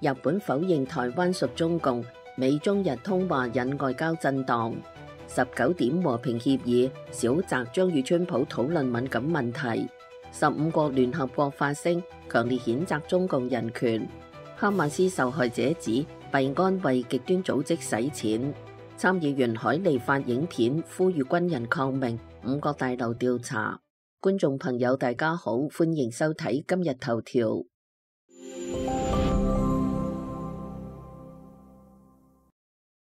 日本否認台灣屬中共，美中日通話引外交震盪。19點和平協議，小澤將與川普討論敏感問題。15國聯合國發聲，強烈譴責中共人權。哈馬斯受害者指幣安為極端組織洗錢。參議員海利發影片呼籲軍人抗命。5角大樓調查。觀眾朋友大家好，歡迎收睇今日頭條。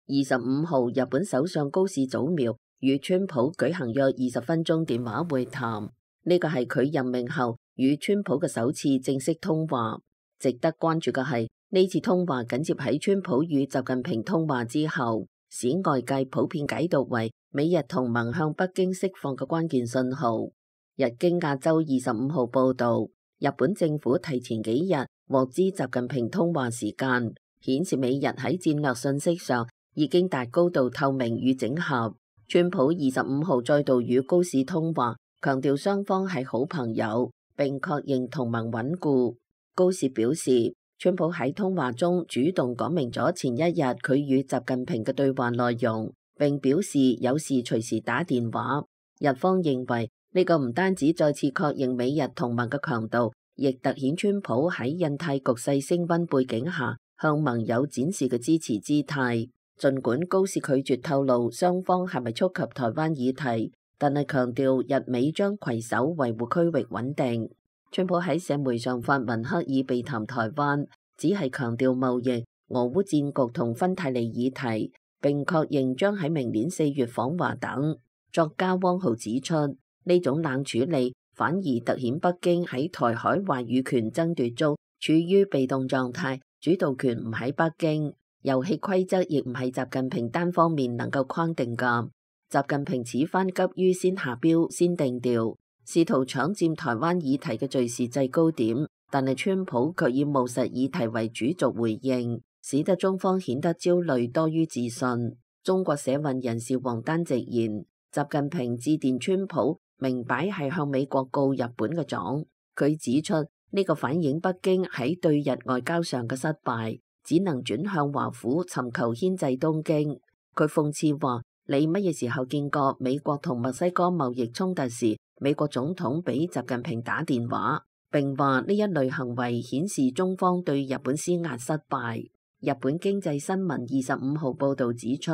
25號，日本首相高市早苗與川普舉行約20分鐘電話會談，呢個係佢任命後與川普嘅首次正式通話。值得關注嘅係呢次通話緊接喺川普與習近平通話之後，使外界普遍解讀為美日同盟向北京釋放嘅關鍵信號。日經亞洲25號報道，日本政府提前幾日獲知習近平通話時間，顯示美日喺戰略信息上已經達高度透明與整合。川普25號再度與高市通話，強調雙方係好朋友，並確認同盟穩固。高市表示，川普喺通話中主動講明咗前一日佢與習近平嘅對話內容，並表示有事隨時打電話。日方認為呢個唔單止再次確認美日同盟嘅強度，亦凸顯川普喺印太局勢升溫背景下向盟友展示嘅支持姿態。儘管高市拒絕透露雙方係咪觸及台灣議題，但係強調日美將攜手維護區域穩定。川普喺社媒上發文刻意避談台灣，只係強調貿易、俄烏戰局同芬太尼議題，並確認將喺明年4月訪華等。作家汪浩指出，呢種冷處理反而凸顯北京喺台海話語權爭奪中處於被動狀態，主導權唔喺北京，遊戲規則亦唔係習近平單方面能夠框定㗎。習近平此番急於先下標先定調，試圖搶佔台灣議題嘅敘事制高點，但係川普卻以務實議題為主軸回應，使得中方顯得焦慮多於自信。中國社運人士王丹直言，習近平致電川普，明擺係向美國告日本嘅狀。佢指出呢個反映北京喺對日外交上嘅失敗，只能轉向華府尋求牽制東京。佢諷刺話：你乜嘢時候見過美國同墨西哥貿易衝突時，美國總統俾習近平打電話？並話呢一類行為顯示中方對日本施壓失敗。日本經濟新聞25號報導指出，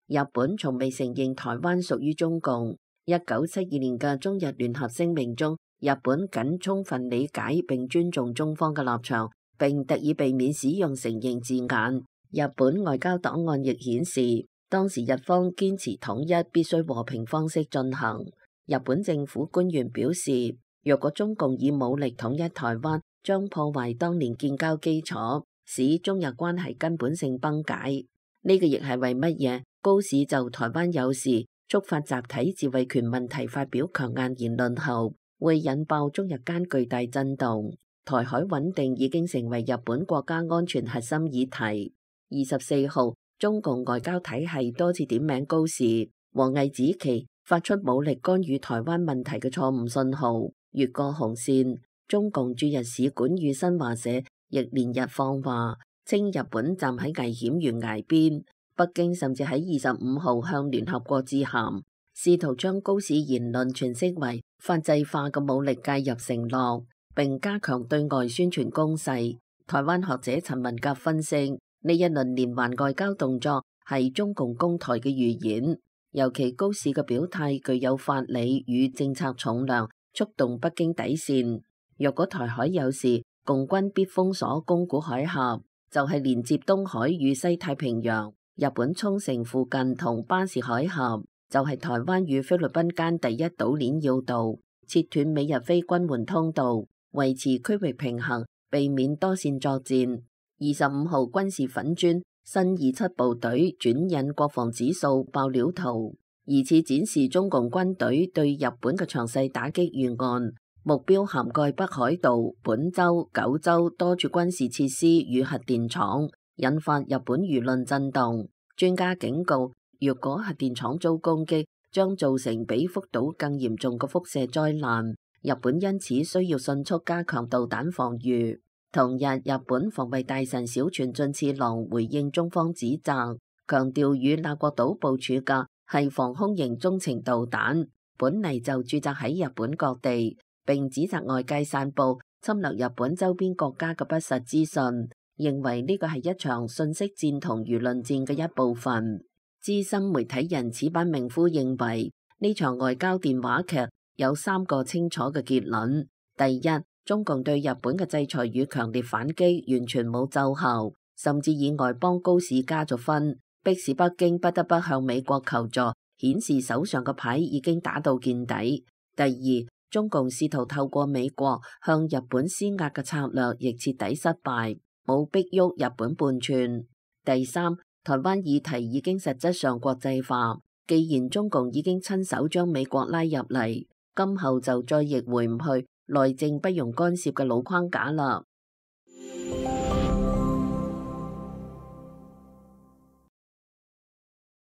日本從未承認台灣屬於中共。1972年嘅中日聯合聲明中，日本僅充分理解並尊重中方嘅立場，並特意避免使用承認字眼。日本外交檔案亦顯示，當時日方堅持統一必須和平方式進行。日本政府官員表示，若果中共以武力統一台灣，將破壞當年建交基礎，使中日關係根本性崩解。呢個亦係為乜嘢高市就台灣有事觸發集體自衛權問題發表強硬言論後，會引爆中日間巨大震動。台海穩定已經成為日本國家安全核心議題。24號，中共外交體系多次點名高市，王毅指其發出武力干預台灣問題嘅錯誤信號，越過紅線。中共駐日使館與新華社亦連日放話，稱日本站喺危險懸崖邊。北京甚至喺25號向聯合國致函，試圖將高市言論詮釋為法制化嘅武力介入承諾，並加強對外宣傳攻勢。台灣學者陳文甲分析，呢一輪連環外交動作係中共攻台嘅預演，尤其高市嘅表態具有法理與政策重量，觸動北京底線。若果台海有事，共軍必封鎖宮古海峽，就係連接東海與西太平洋。日本沖繩附近同巴士海峽就係台灣與菲律賓間第一島鏈要道，切斷美日非軍援通道，維持區域平衡，避免多線作戰。25號軍事粉磚新27部隊轉印國防指數爆料圖，疑似展示中共軍隊對日本嘅詳細打擊預案，目標涵蓋北海道、本州、九州多處軍事設施與核電廠，引發日本輿論震動。專家警告，若果核電廠遭攻擊，將造成比福島更嚴重嘅輻射災難。日本因此需要迅速加強導彈防禦。同日，日本防衛大臣小泉進次郎回應中方指責，強調與那國島部署嘅係防空型中程導彈，本嚟就駐紮喺日本各地，並指責外界散布侵略日本周邊國家嘅不實資訊，認為呢個係一場信息戰同輿論戰嘅一部分。資深媒體人矢板明夫認為，呢場外交電話劇有3個清楚嘅結論。第一，中共對日本嘅制裁與強烈反擊完全冇奏效，甚至以外邦高市加咗分，迫使北京不得不向美國求助，顯示手上嘅牌已經打到見底。第二，中共試圖透過美國向日本施壓嘅策略亦徹底失敗，冇逼喐日本半寸。第三，台灣議題已經實質上國際化，既然中共已經親手將美國拉入嚟，今後就再逆回唔去內政不容干涉嘅老框架啦。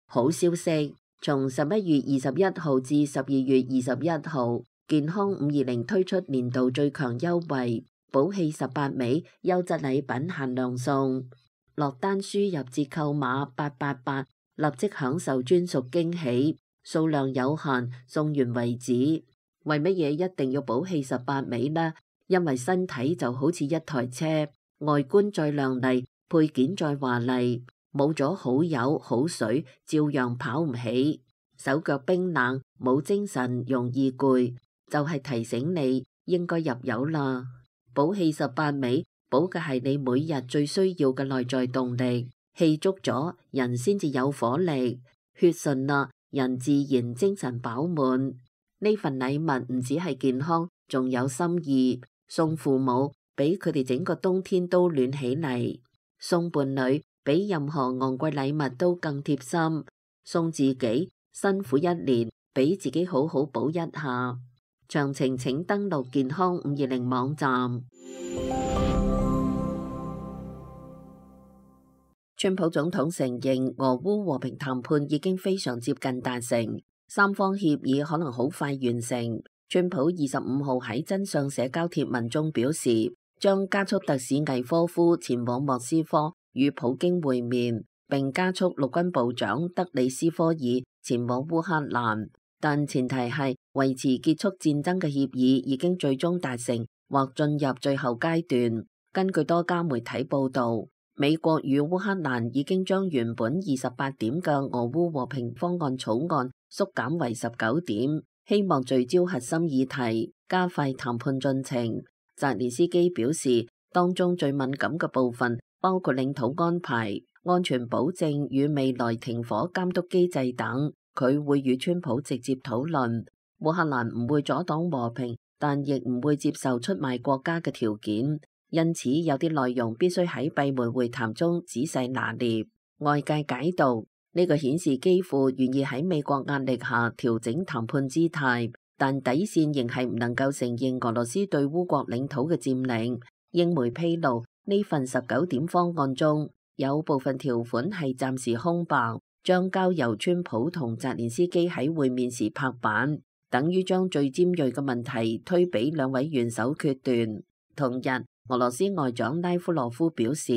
好消息，從11月21號至12月21號，健康520推出年度最強優惠，寶氣18味優質禮品限量送，落單輸入折扣碼888，立即享受專屬驚喜，數量有限，送完為止。為乜嘢一定要寶氣18味呢？因為身體就好似一台車，外觀再亮麗，配件再華麗，冇咗好油好水，照樣跑唔起。手腳冰冷，冇精神，容易攰，就係提醒你應該入油啦。寶氣18味，補嘅係你每日最需要嘅內在動力，氣足咗，人先至有火力，血順啦，人自然精神飽滿。呢份禮物唔止係健康，仲有心意。送父母，俾佢哋整個冬天都暖起嚟；送伴侶，比任何昂貴禮物都更貼心；送自己，辛苦一年，俾自己好好補一下。詳情請登錄健康520網站。川普總統承認俄烏和平談判已經非常接近達成。三方協議可能好快完成。川普25號喺真相社交貼文中表示，將加速特使魏科夫前往莫斯科與普京會面，並加速陸軍部長德里斯科爾前往烏克蘭，但前提係維持結束戰爭嘅協議已經最終達成或進入最後階段。根據多家媒體報道，美國與烏克蘭已經將原本28點嘅俄烏和平方案草案縮減為19點，希望聚焦核心議題，加快談判進程。澤連斯基表示，當中最敏感嘅部分包括領土安排、安全保證與未來停火監督機制等，佢會與川普直接討論。烏克蘭唔會阻擋和平，但亦唔會接受出賣國家嘅條件，因此有啲內容必須喺閉門會談中仔細拿捏。外界解讀，呢個顯示基輔願意喺美國壓力下調整談判姿態，但底線仍係唔能夠承認俄羅斯對烏國領土嘅佔領。英媒披露，呢份19點方案中有部分條款係暫時空白，將交由川普同澤連斯基喺會面時拍板，等於將最尖銳嘅問題推俾兩位元首決斷。同日，俄羅斯外長拉夫羅夫表示，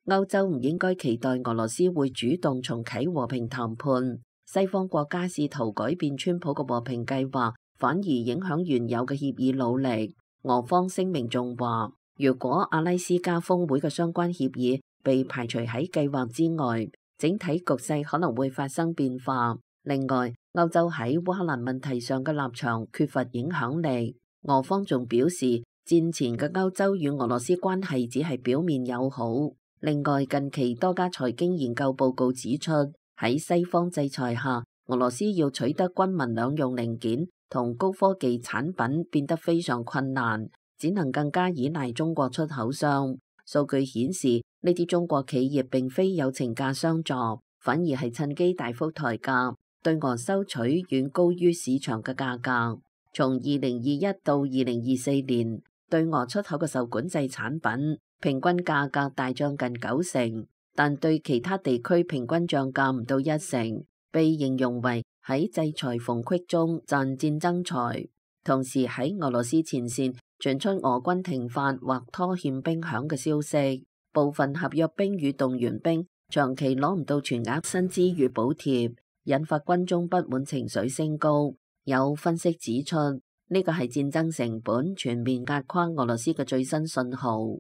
歐洲唔應該期待俄羅斯會主動重啟和平談判。西方國家試圖改變川普嘅和平計劃，反而影響原有嘅協議努力。俄方聲明仲話，如果阿拉斯加峰會嘅相關協議被排除喺計劃之外，整體局勢可能會發生變化。另外，歐洲喺烏克蘭問題上嘅立場缺乏影響力。俄方仲表示，戰前嘅歐洲與俄羅斯關係只係表面友好。另外，近期多家財經研究報告指出，喺西方制裁下，俄羅斯要取得軍民兩用零件同高科技產品變得非常困難，只能更加依賴中國出口商。數據顯示，呢啲中國企業並非友情價相助，反而係趁機大幅抬價，對俄收取遠高於市場嘅價格。從2021到2024年，對俄出口嘅受管制產品平均價格大漲近90%，但對其他地區平均漲價唔到1成，被形容為喺制裁縫隙中賺戰爭財。同時喺俄羅斯前線傳出俄軍停發或拖欠兵餉嘅消息，部分合約兵與動員兵長期攞唔到全額薪資與補貼，引發軍中不滿情緒升高。有分析指出，呢個係戰爭成本全面壓垮俄羅斯嘅最新信號。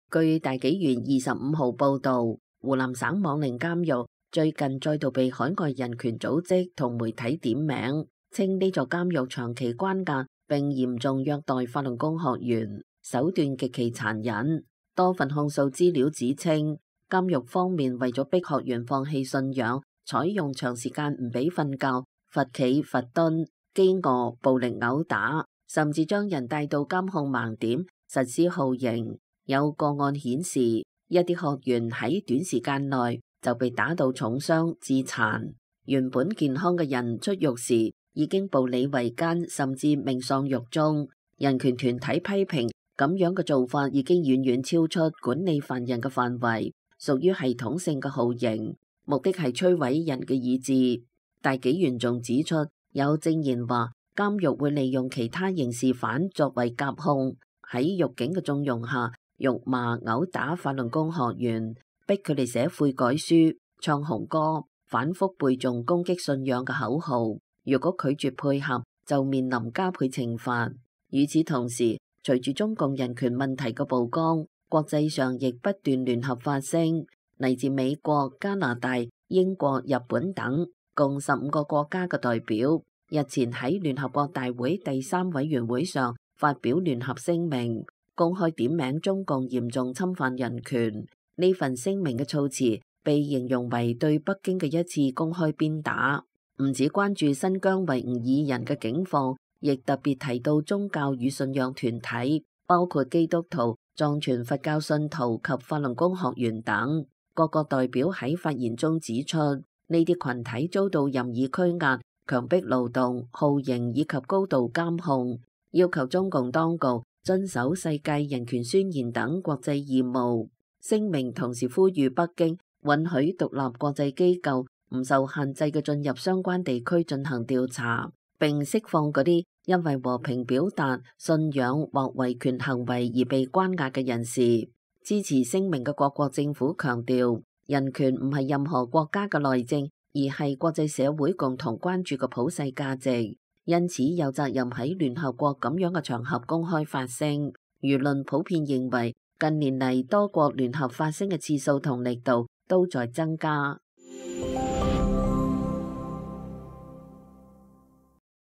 據大紀元25號報導，湖南省網寧監獄最近再度被海外人權組織同媒體點名，稱呢座監獄長期關押並嚴重虐待法輪功學員，手段極其殘忍。多份控訴資料指稱，監獄方面為咗逼學員放棄信仰，採用長時間唔俾瞓覺、罰企、罰蹲、飢餓、暴力毆打，甚至將人帶到監控盲點實施酷刑。有個案顯示，一啲學員喺短時間內就被打到重傷致殘，原本健康嘅人出獄時已經步履維艱，甚至命喪獄中。人權團體批評咁樣嘅做法已經遠遠超出管理犯人嘅範圍，屬於系統性嘅酷刑，目的係摧毀人嘅意志。大紀元仲指出，有證言話監獄會利用其他刑事犯作為夾控，喺獄警嘅縱容下辱罵、毆打法輪功學員，逼佢哋寫悔改書、唱紅歌、反覆背誦攻擊信仰嘅口號。如果拒絕配合，就面臨加倍懲罰。與此同時，隨住中共人權問題嘅曝光，國際上亦不斷聯合發聲，嚟自美國、加拿大、英國、日本等共15個國家嘅代表，日前喺聯合國大會第3委員會上發表聯合聲明，公開點名中共嚴重侵犯人權。呢份聲明嘅措辭被形容為對北京嘅一次公開鞭打，唔止關注新疆維吾爾人嘅境況，亦特別提到宗教與信仰團體，包括基督徒、藏傳佛教信徒及法輪功學員等。各個代表喺發言中指出，呢啲群體遭到任意拘押、強迫勞動、酷刑以及高度監控，要求中共當局遵守世界人權宣言等國際義務。聲明同時呼籲北京允許獨立國際機構唔受限制嘅進入相關地區進行調查，並釋放嗰啲因為和平表達信仰或維權行為而被關押嘅人士。支持聲明嘅各國政府強調，人權唔係任何國家嘅內政，而係國際社會共同關注嘅普世價值，因此有責任喺聯合國咁樣嘅場合公開發聲。輿論普遍認為，近年嚟多國聯合發聲嘅次數同力度都在增加。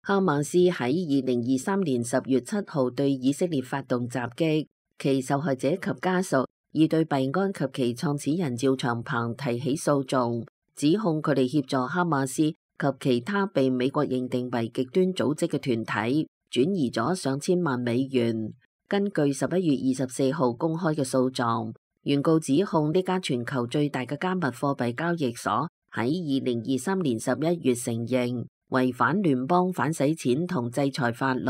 哈馬斯喺2023年10月7號對以色列發動襲擊，其受害者及家屬已對幣安及其創始人趙長鵬提起訴訟，指控佢哋協助哈馬斯及其他被美國認定為極端組織嘅團體轉移咗上千萬美元。根據11月24號公開嘅訴狀，原告指控呢家全球最大嘅加密貨幣交易所喺2023年11月承認違反聯邦反洗錢同制裁法律，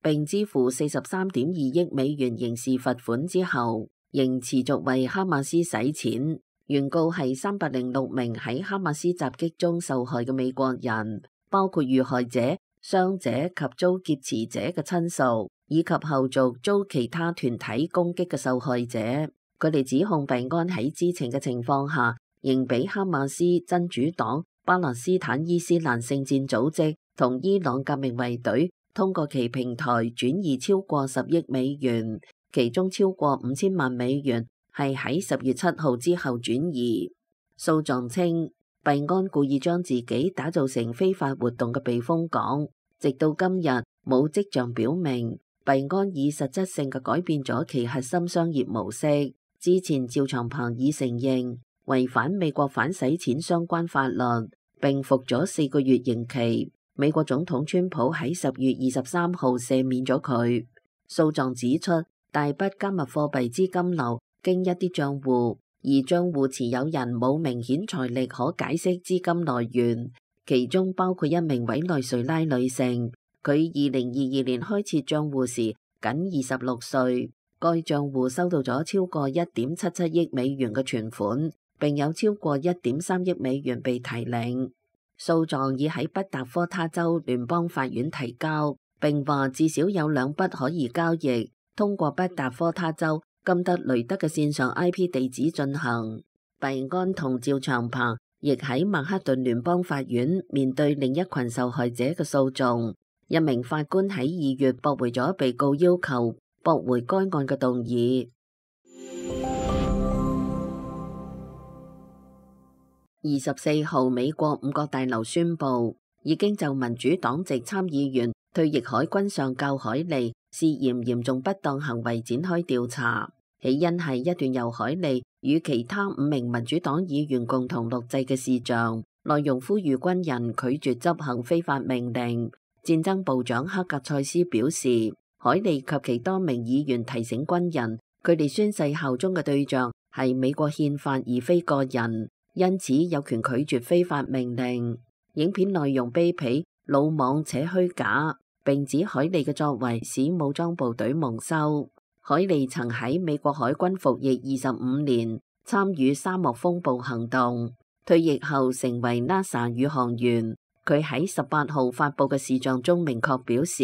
並支付43.2億美元刑事罰款之後，仍持續為哈馬斯洗錢。原告係306名喺哈馬斯襲擊中受害嘅美國人，包括遇害者、傷者及遭劫持者嘅親屬，以及後續遭其他團體攻擊嘅受害者。佢哋指控幣安喺知情嘅情況下，仍俾哈馬斯真主黨、巴勒斯坦伊斯蘭聖戰組織同伊朗革命衛隊通過其平台轉移超過10億美元，其中超過5000萬美元係喺10月7號之後轉移。訴狀稱，幣安故意將自己打造成非法活動嘅避風港，直到今日冇跡象表明幣安以實質性嘅改變咗其核心商業模式。之前趙長鵬已承認違反美國反洗錢相關法律，並服咗4個月刑期。美國總統川普喺10月23號赦免咗佢。訴狀指出，大筆加密貨幣資金流經一啲賬戶，而賬戶持有人冇明顯財力可解釋資金來源，其中包括一名委內瑞拉女性。佢2022年開設賬戶時僅26歲，該賬戶收到咗超過1.77億美元嘅存款，並有超過1.3億美元被提領。訴狀已喺北達科他州聯邦法院提交，並話至少有2筆可疑交易通過北達科他州金德雷德嘅線上 IP 地址進行。幣安同趙長鵬亦喺曼克頓聯邦法院面對另一群受害者嘅訴訟。一名法官喺2月駁回咗被告要求駁回該案嘅動議。24號，美國五角大樓宣布已經就民主黨籍參議員退役海軍上校海莉涉嫌嚴重不當行為展開調查，起因係一段由海莉與其他5名民主黨議員共同錄製嘅視像，內容呼籲軍人拒絕執行非法命令。戰爭部長克格塞斯表示，海莉及其多名議員提醒軍人，佢哋宣誓效忠嘅對象係美國憲法而非個人，因此有權拒絕非法命令。影片內容卑鄙、魯莽且虛假，並指海莉嘅作為使武裝部隊蒙羞。海莉曾喺美國海軍服役25年，參與沙漠風暴行動，退役後成為 NASA 宇航員。佢喺18號發佈嘅視像中明確表示，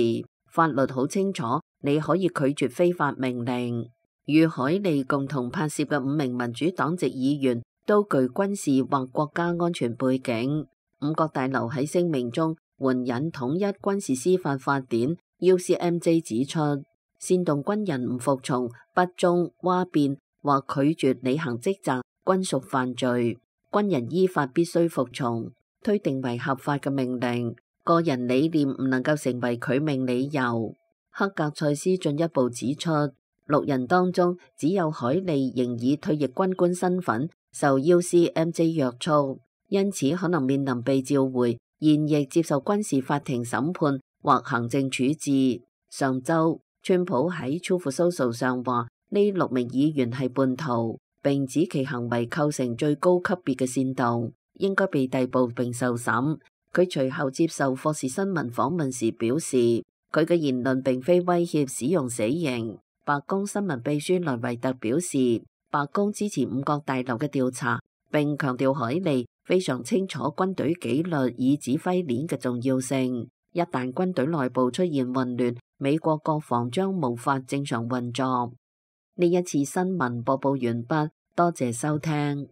法律好清楚，你可以拒絕非法命令。與海莉共同拍攝嘅5名民主黨籍議員都具軍事或國家安全背景。五角大樓喺聲明中援引統一軍事司法法典 UCMJ 指出，煽動軍人唔服從、不忠、嘩變或拒絕履行職責均屬犯罪。軍人依法必須服從推定為合法嘅命令，個人理念唔能夠成為拒命理由。克格塞斯進一步指出，6人當中只有海莉仍以退役軍官身份受 UCMJ 約束，因此可能面臨被召回，現役接受軍事法庭審判或行政處置。上週，川普喺 Truth Social 上話呢6名議員係叛徒，並指其行為構成最高級別嘅煽動，應該被逮捕並受審。佢隨後接受霍士新聞訪問時表示，佢嘅言論並非威脅使用死刑。白宮新聞秘書萊維特表示，白宮支持五角大樓嘅調查，並強調海莉非常清楚軍隊紀律與指揮鏈嘅重要性。一旦軍隊內部出現混亂，美國國防將無法正常運作。呢一次新聞播報完畢，多謝收聽。